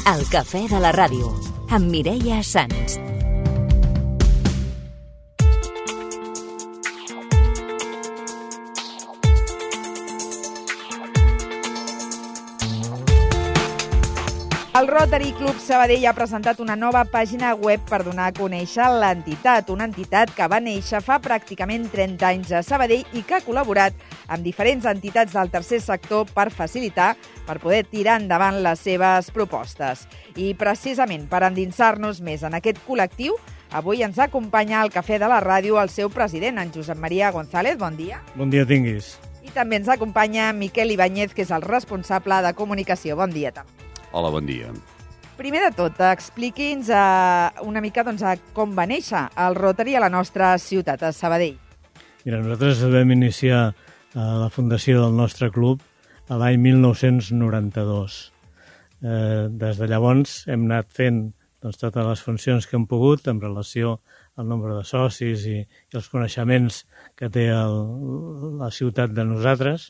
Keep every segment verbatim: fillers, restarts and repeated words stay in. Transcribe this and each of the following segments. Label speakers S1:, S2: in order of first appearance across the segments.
S1: El cafè de la ràdio, amb Mireia Sans.
S2: El Rotary Club Sabadell ha presentat una nova pàgina web per donar a conèixer l'entitat, una entitat que va néixer fa pràcticament trenta anys a Sabadell i que ha col·laborat amb diferents entitats del tercer sector per facilitar, per poder tirar endavant les seves propostes. I precisament per endinsar-nos més en aquest col·lectiu, avui ens acompanya al Cafè de la Ràdio el seu president, en Josep Maria González. Bon dia.
S3: Bon dia tinguis.
S2: I també ens acompanya Miquel Ibáñez, que és el responsable de comunicació. Bon dia també.
S4: Hola, bon dia.
S2: Primer de tot, expliqui'ns uh, una mica doncs, com va néixer el Rotary a la nostra ciutat, a Sabadell.
S3: Mira, nosaltres vam iniciar uh, la fundació del nostre club a l'any mil nou-cents noranta-dos. Eh, des de llavors hem anat fent doncs, totes les funcions que hem pogut en relació al nombre de socis i, i els coneixements que té el, la ciutat de nosaltres.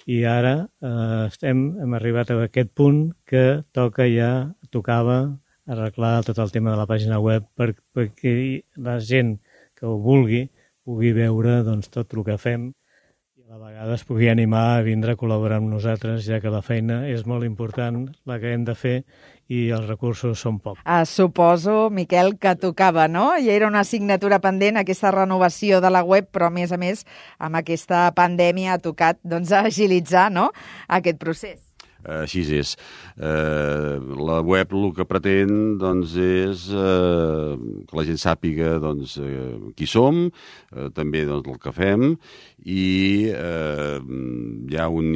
S3: I ara eh, estem, hem arribat a aquest punt que toca ja, tocava arreglar tot el tema de la pàgina web per, perquè la gent que ho vulgui pugui veure doncs, tot el que fem i a la vegada es pugui animar a vindre a col·laborar amb nosaltres, ja que la feina és molt important, la que hem de fer, i els recursos són pocs.
S2: Ah, suposo, Miquel, que tocava, no? I era una assignatura pendent, aquesta renovació de la web, però a més a més, amb aquesta pandèmia ha tocat doncs, agilitzar, no?, aquest procés.
S4: Així és. Eh, la web el que pretén doncs, és eh, que la gent sàpiga doncs, eh, qui som, eh, també doncs, el que fem, i eh, hi ha un,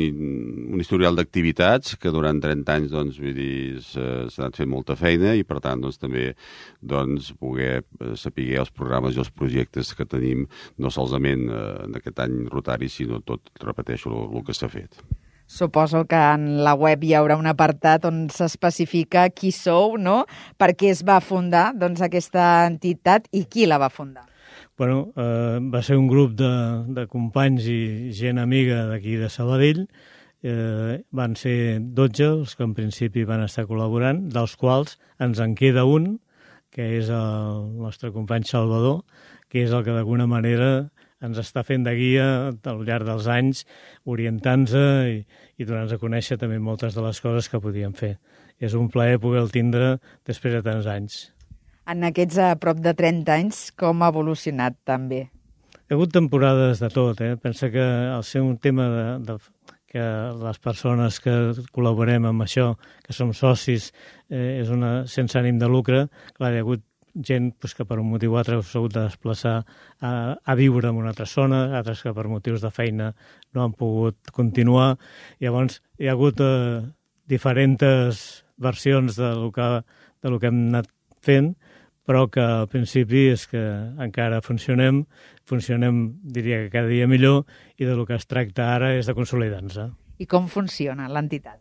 S4: un historial d'activitats que durant trenta anys doncs, vull dir, s'ha anat fent molta feina i per tant doncs, també doncs, poder saber els programes i els projectes que tenim, no solament eh, en aquest any Rotari, sinó tot, repeteixo, el, el que s'ha fet.
S2: Suposo que en la web hi haurà un apartat on s'especifica qui sou, no? Per què es va fundar doncs, aquesta entitat i qui la va fundar?
S3: Bueno, eh, va ser un grup de, de companys i gent amiga d'aquí de Sabadell. Eh, van ser dotze els que en principi van estar col·laborant, dels quals ens en queda un, que és el nostre company Salvador, que és el que d'alguna manera ens està fent de guia al llarg dels anys, orientant-se i, i donant-nos a conèixer també moltes de les coses que podíem fer. És un plaer poder-el tindre després de tants anys.
S2: En aquests a prop de trenta anys, com ha evolucionat també?
S3: Hi ha hagut temporades de tot. Eh? Pensa que al ser un tema de, de, que les persones que col·laborem amb això, que som socis, eh, és una sense ànim de lucre, clar, hi ha hagut gent pues, que per un motiu o altre s'ha hagut de desplaçar a, a viure en una altra zona, altres que per motius de feina no han pogut continuar. Llavors hi ha hagut eh, diferents versions de lo que, de lo que hem anat fent, però que al principi és que encara funcionem, funcionem, diria que cada dia millor, i de lo que es tracta ara és de consolidar-nos.
S2: I com funciona l'entitat?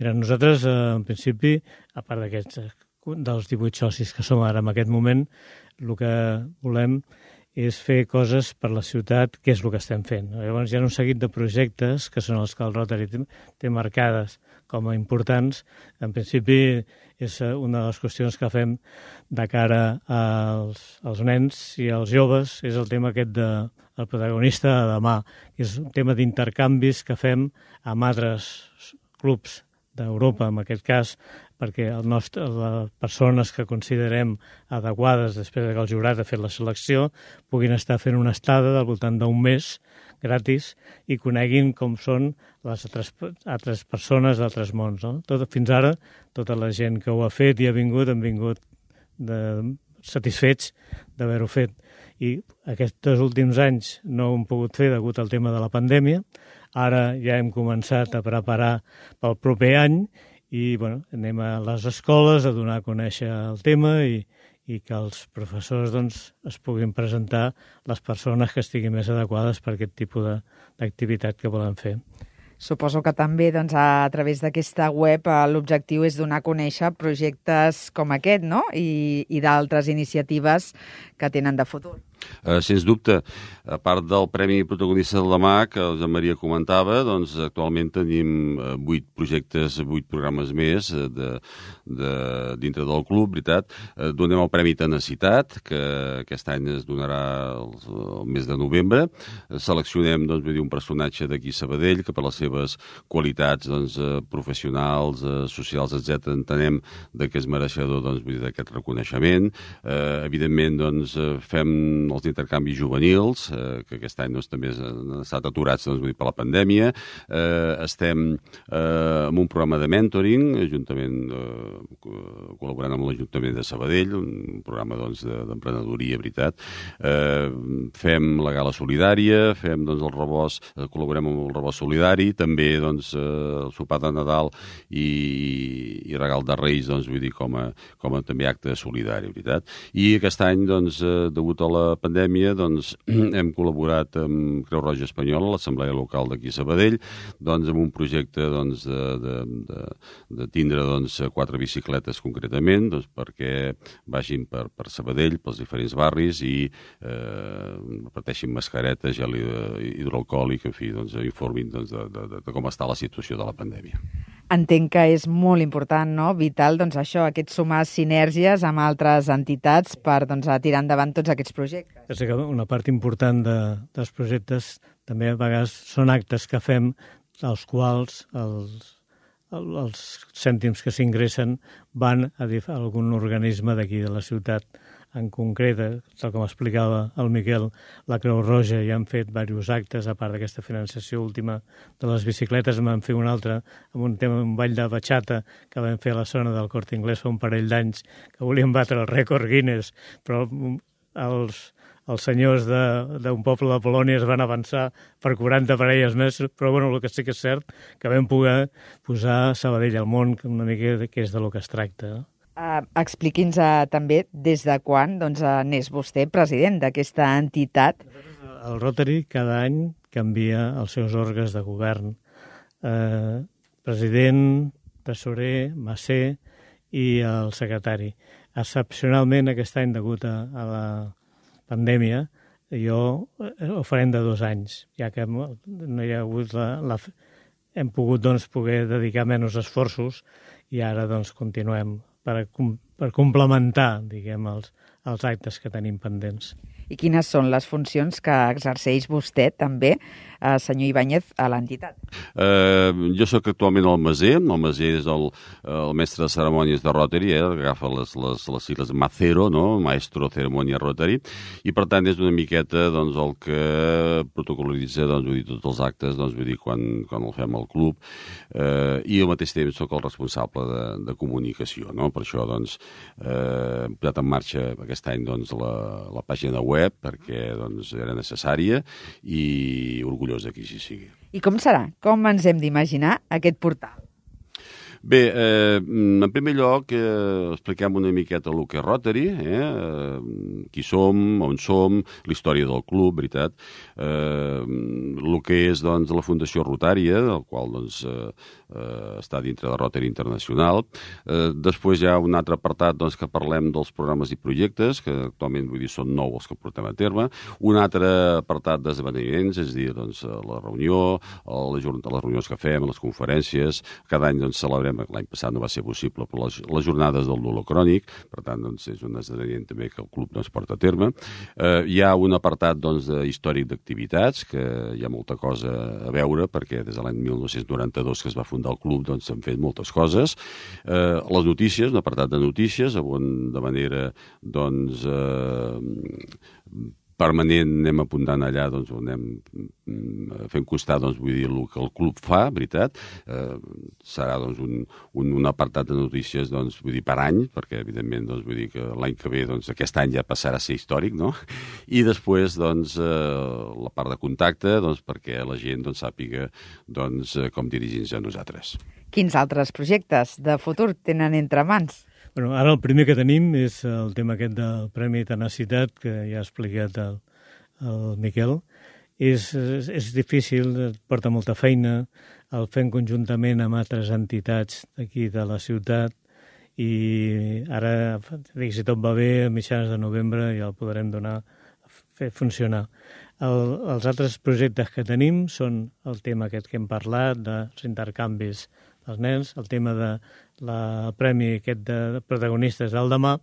S3: Mira, nosaltres, eh, en principi, a part d'aquests dels divuit socis que som ara en aquest moment, el que volem és fer coses per la ciutat, que és el que estem fent. Llavors hi ha un seguit de projectes que són els que el Rotary té marcades com a importants. En principi és una de les qüestions que fem de cara als, als nens i als joves, és el tema aquest de el protagonista de demà, que és un tema d'intercanvis que fem amb altres clubs d'Europa, en aquest cas, perquè el nostre, les persones que considerem adequades després que el jurat ha fet la selecció puguin estar fent una estada del voltant d'un mes gratis i coneguin com són les altres, altres persones d'altres mons. No? Tot, fins ara, tota la gent que ho ha fet i ha vingut, han vingut de, satisfets d'haver-ho fet. I aquests últims anys no ho hem pogut fer degut al tema de la pandèmia. Ara ja hem començat a preparar pel proper any i bueno, anem a les escoles a donar a conèixer el tema i, i que els professors doncs, es puguin presentar les persones que estiguin més adequades per aquest tipus d'activitat que volen fer.
S2: Suposo que també doncs, a través d'aquesta web l'objectiu és donar a conèixer projectes com aquest, no? I, i d'altres iniciatives que tenen de futur.
S4: Uh, sens dubte, a part del Premi Protagonista del demà, que el Joan Maria comentava, doncs actualment tenim vuit projectes, vuit programes més de, de, dintre del club, veritat. Uh, donem el Premi Tenacitat, que aquest any es donarà el, el mes de novembre. Uh, seleccionem doncs, vull dir, un personatge d'aquí Sabadell que per les seves qualitats doncs, uh, professionals, uh, socials, etcètera, entenem de que és mereixedor doncs, vull dir, d'aquest reconeixement. Uh, evidentment, doncs, fem els intercanvis juvenils, eh, que aquest any doncs, també han estat aturats doncs, vull dir, per la pandèmia. Eh, estem eh, en un programa de mentoring, juntament, eh, col·laborant amb l'Ajuntament de Sabadell, un programa doncs, d'emprenedoria, veritat. Eh, fem la gala solidària, fem doncs, el rebost, eh, col·laborem amb el rebost solidari, també doncs, eh, el sopar de Nadal i, i regal de Reis, doncs, vull dir, com a, com a també acte solidari, veritat. I aquest any, doncs, eh, degut a la pandèmia, doncs, hem col·laborat amb Creu Roja Espanyola, l'Assemblea Local d'aquí a Sabadell, doncs, amb un projecte doncs, de, de, de, de tindre doncs, quatre bicicletes concretament, doncs, perquè vagin per, per Sabadell, pels diferents barris i eh, reparteixin mascaretes, gel hidroalcohòlic, en fi, doncs, informin doncs, de, de, de com està la situació de la pandèmia.
S2: Entenc que és molt important, no? Vital, doncs això, aquest sumar sinergies amb altres entitats per doncs, tirar endavant tots aquests projectes.
S3: És que una part important de, dels projectes també a vegades són actes que fem als quals els, els cèntims que s'ingressen van a, a algun organisme d'aquí de la ciutat en concret, tal com explicava el Miquel, la Creu Roja ja han fet diversos actes, a part d'aquesta financiació última de les bicicletes, en van fer un altre amb un tema, un ball de batxata que vam fer a la zona del Corte Inglés fa un parell d'anys, que volien batre el rècord Guinness, però els, els senyors d'un poble de Polònia es van avançar per quaranta parelles més, però bueno, el que sí que és cert que vam poder posar Sabadell al món, una mica que és de lo que es tracta.
S2: Uh, Expliqui'ns uh, també des de quan doncs, uh, n'és vostè president d'aquesta entitat.
S3: El Rotary cada any canvia els seus òrgans de govern. Uh, president, tresorer, macer i el secretari. Excepcionalment aquest any, degut a, a la pandèmia, jo ho farem de dos anys, ja que no hi ha hagut la... la hem pogut doncs, poder dedicar menys esforços i ara doncs, continuem per, per complementar diguem, els, els actes que tenim pendents.
S2: I quines són les funcions que exerceix vostè també, eh, senyor Ibáñez, a l'entitat?
S4: Eh, jo sóc actualment el maser, el maser és el, el mestre de cerimònies de Rotary, eh, agafa les, les, les sigles Macero, no? Maestro Ceremonia Rotary, i per tant és una miqueta doncs, el que protocol·litza doncs, vull dir, tots els actes doncs, vull dir, quan, quan el fem al club, eh, i al mateix temps sóc el responsable de, de comunicació, no? Per això doncs, eh, hem posat en marxa aquest any doncs, la, la pàgina web web perquè doncs, era necessària i orgullós que així sigui.
S2: I com serà? Com ens hem d'imaginar aquest portal?
S4: Bé, eh, en primer lloc eh, expliquem una miqueta el que és Rotary, eh, qui som, on som, la història del club, veritat, eh, el que és doncs, la Fundació Rotària, el qual doncs, eh, eh, està dintre de Rotary Internacional. Eh, després hi ha un altre apartat doncs, que parlem dels programes i projectes, que actualment vull dir, són nou els que portem a terme. Un altre apartat d'esdeveniments, és a dir, doncs, la reunió, les, les reunions que fem, les conferències. Cada any doncs, celebrem, l'any passat no va ser possible per les, les jornades del dolor crònic, per tant doncs, és un esdeveniment també que el club doncs, porta a terme. Eh, hi ha un apartat doncs, de històric d'activitats, que hi ha molta cosa a veure, perquè des de l'any mil nou-cents noranta-dos que es va fundar el club doncs, s'han fet moltes coses. Eh, les notícies, un apartat de notícies, on de manera doncs, eh, permanent anem apuntant allà doncs, on anem fent costar doncs, vull dir, el que el club fa, veritat. Eh, serà doncs, un, un, un apartat de notícies doncs, vull dir, per any, perquè evidentment doncs, vull dir que l'any que ve doncs, aquest any ja passarà a ser històric, no? I després doncs, eh, la part de contacte doncs, perquè la gent doncs, sàpiga doncs, com dirigir-nos a nosaltres.
S2: Quins altres projectes de futur tenen entre mans?
S3: Bueno, ara el primer que tenim és el tema aquest del Premi Tenacitat, que ja ha explicat el, el Miquel. És, és, és difícil, porta molta feina, el fem conjuntament amb altres entitats d'aquí de la ciutat i ara, si tot va bé, a mitjans de novembre ja el podrem donar fer funcionar. El, els altres projectes que tenim són el tema aquest que hem parlat, dels intercanvis dels nens, el tema de la premi aquest de protagonistes del demà,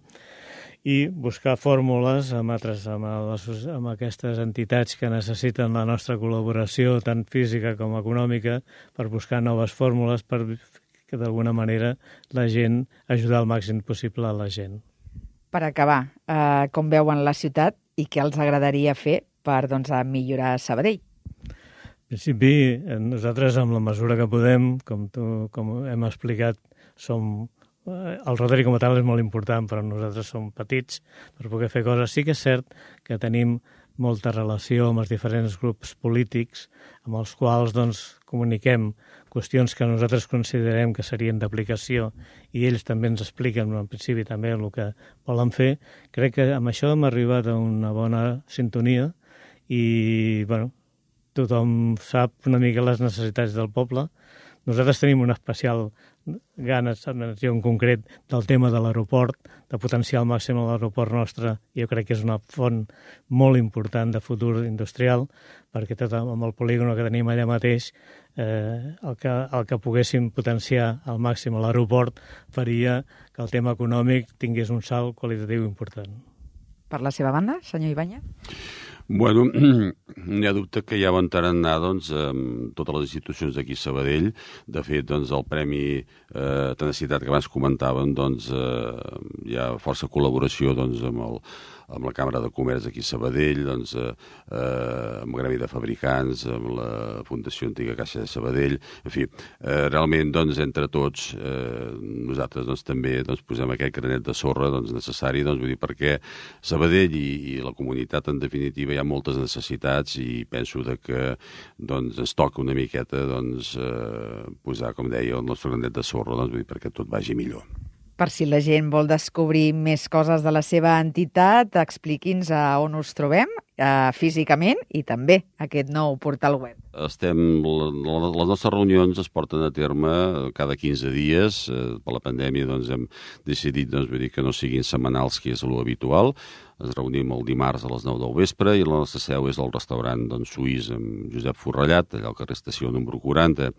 S3: i buscar fórmules amb, altres, amb, les, amb aquestes entitats que necessiten la nostra col·laboració, tant física com econòmica, per buscar noves fórmules per que d'alguna manera la gent, ajudar al màxim possible a la gent.
S2: Per acabar, eh, com veuen la ciutat i què els agradaria fer per doncs, millorar Sabadell?
S3: En principi, nosaltres, amb la mesura que podem, com, tu, com hem explicat, som, el Rotary com a tal és molt important, però nosaltres som petits per poder fer coses. Sí que és cert que tenim molta relació amb els diferents grups polítics amb els quals doncs, comuniquem qüestions que nosaltres considerem que serien d'aplicació i ells també ens expliquen en principi també el que volen fer. Crec que amb això hem arribat a una bona sintonia i bueno, tothom sap una mica les necessitats del poble. Nosaltres tenim una especial ganes, en concret, del tema de l'aeroport, de potenciar al màxim l'aeroport nostre. Jo crec que és una font molt important de futur industrial, perquè tot amb el polígon que tenim allà mateix, eh, el, que, el que poguéssim potenciar al màxim a l'aeroport faria que el tema econòmic tingués un salt qualitatiu important.
S2: Per la seva banda, senyor Ibáñez?
S4: Bueno, n'hi ha dubte que ja van anar doncs, amb totes les institucions d'aquí a Sabadell. De fet, doncs, el Premi eh, Tenacitat que abans comentàvem, doncs, eh, hi ha força col·laboració doncs, amb, el, amb la Càmera de Comerç d'aquí a Sabadell, doncs, eh, amb el Gremi de Fabricants, amb la Fundació Antiga Caixa de Sabadell. En fi, eh, realment, doncs, entre tots, eh, nosaltres doncs, també doncs, posem aquest granet de sorra doncs, necessari, doncs, vull dir, perquè Sabadell i, i la comunitat, en definitiva, hi ha moltes necessitats i penso de que doncs, ens toca una miqueta doncs, eh, posar, com deia, el nostre granet de sorra doncs, vull dir, perquè tot vagi millor.
S2: Per si la gent vol descobrir més coses de la seva entitat, expliqui'ns a on us trobem eh, físicament i també aquest nou portal web.
S4: Estem, les nostres reunions es porten a terme cada quinze dies. Per la pandèmia doncs, hem decidit doncs, vull dir, que no siguin setmanals, que és l'habitual. Ens reunim el dimarts a les nou del vespre i la nostra seu és el restaurant doncs, suís amb Josep Forrellat, allà al carrer Estació número quaranta.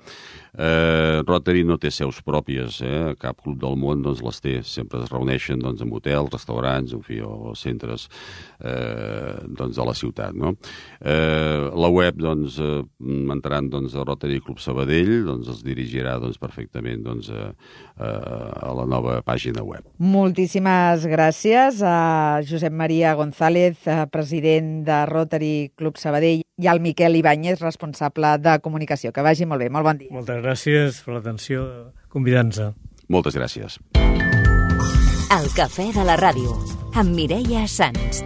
S4: Eh, Rotary no té seus pròpies, eh? Cap club del món doncs, les té. Sempre es reuneixen doncs, en hotels, restaurants, en fi, o centres eh, doncs, de la ciutat. No? Eh, la web doncs, eh, entrant doncs, a Rotary Club Sabadell doncs, es dirigirà doncs, perfectament doncs, a, a la nova pàgina web.
S2: Moltíssimes gràcies a Josep Maria González, president de Rotary Club Sabadell, i al Miquel Ibáñez, responsable de comunicació. Que vagi molt bé, molt bon dia.
S3: Moltes gràcies per l'atenció, convidant-nos.
S4: Moltes gràcies.
S1: El cafè de la ràdio, amb Mireia Sans.